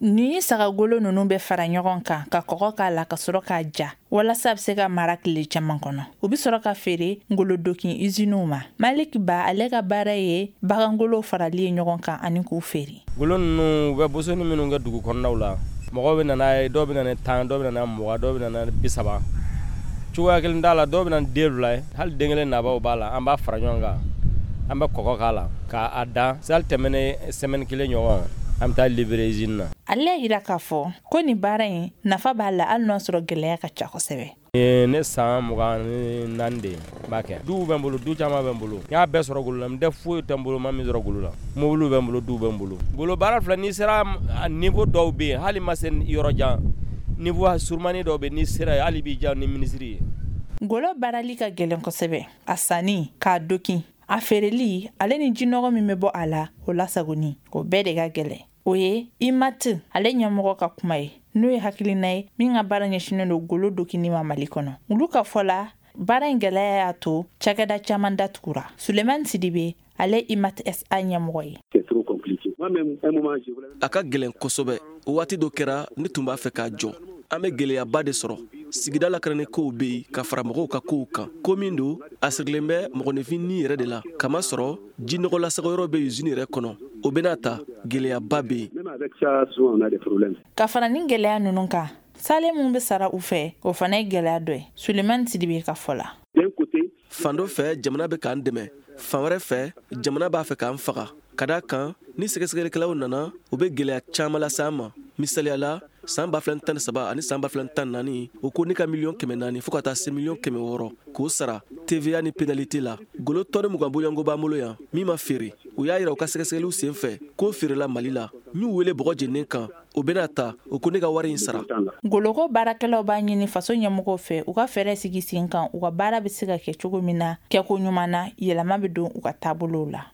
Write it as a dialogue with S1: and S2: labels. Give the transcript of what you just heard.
S1: Ni sagagolo ninnu bɛ fara ɲɔgɔn kan, ka kɔgɔ k'a la, ka sɔrɔ k'a ja walasa a bɛ se ka mara tile caman kɔnɔ, u bɛ sɔrɔ ka feere ngolodokin iziniw ma. Malik Ba, ale ka baara ye bagangolow farali ye ɲɔgɔn kan ani k'u feere.
S2: Golo ninnu, u bɛ bosoni minnu kɛ dugu kɔnɔnaw la, mɔgɔw bɛ na n'a ye. Dɔw bɛ na ni 10, dɔw bɛ na 20, dɔw bɛ na ni 30. Cogoya kelen t'a la. Dɔw bɛ na ni den fila ye, hali den kelen nabaw b'a la. An b'a fara ɲɔgɔn kan, an bɛ kɔgɔ k'a la k'a da. Sali tɛmɛnen semaine kelen ɲɔgɔn, an bɛ taa livrer usine na.
S1: Ale y'a jira k'a fɔ ko nin baara in nafa b'a la, hali n'a sɔrɔ gɛlɛya ka ca kosɛbɛ.
S2: Ne san 24 de ye n b'a kɛ. Duw bɛ n bolo, du caman bɛ n bolo. N y'a bɛɛ sɔrɔ golo la. N tɛ foyi tɛ n bolo ma min sɔrɔ golo la. Mobili bɛ n bolo, du bɛ n bolo. Golo baara filɛ, n'i sera niveau dɔw bɛ yen, hali ma se yɔrɔ jan, niveau surumani dɔw bɛ yen, n'i sera yen, hali b'i diya ni minisiri ye.
S1: Golo baarali ka gɛlɛn kosɛbɛ. A sanni, k'a dokin, a feereli, ale ni jinɔgɔ min bɛ bɔ a la, o lasagoni, o bɛɛ de ka gɛlɛn. O ye IMAT ale ɲɛmɔgɔ ka kuma ye, n'o ye hakilina ye min ka baara ɲɛsinnen don golo dokini ma Mali kɔnɔ. Olu ka fɔ la, baara in gɛlɛya y'a to cakɛda caman datugura. Sulemani Sidibe, ale IMAT SA ɲɛmɔgɔ ye.
S3: A ka gɛlɛn kosɛbɛ. Waati dɔ kɛra, ne tun b'a fɛ k'a jɔ. An bɛ gɛlɛyaba de sɔrɔ. Sigida lakanani kow bɛ yen ka fara mɔgɔw ka kow kan. Ko min don, a sirilen bɛ mɔgɔninfin ni yɛrɛ de la, kama sɔrɔ jinɔgɔ lasagayɔrɔ bɛ usine yɛrɛ kɔnɔ. O bɛna ta, gɛlɛyaba bɛ yen.
S1: Ka fara ni gɛlɛya ninnu kan, salaire min bɛ sara u fɛ, o fana ye gɛlɛya dɔ ye, Sulemani Sidibe ka fɔ la.
S3: Fan dɔ fɛ, jamana bɛ k'an dɛmɛ. Fan wɛrɛ fɛ, jamana b'a fɛ k'an faga, ka da kan ni sɛgɛsɛgɛlikɛlaw nana, u bɛ gɛlɛya caman lase an ma. Misaliya la, san 2013 ani san 2014, o ko ne ka miliyɔn 400 fo ka taa se miliyɔn 600 k'o sara TVA ni pénalité la. Golo tɔni 20 bɔɲɔgɔnko b'an bolo yan min ma feere. U y'a yira u ka sɛgɛsɛgɛliw sen fɛ k'o feerela Mali la. N y'u wele bɔgɔ jeninen kan. O bɛna ta, o ko ne ka wari in sara.
S1: Goloko baarakɛlaw b'a ɲini faso ɲɛmɔgɔw fɛ, u ka fɛɛrɛ sigi sen kan, u ka baara bɛ se ka kɛ cogo min na kɛko ɲuman na, yɛlɛma bɛ don u ka taabolow la.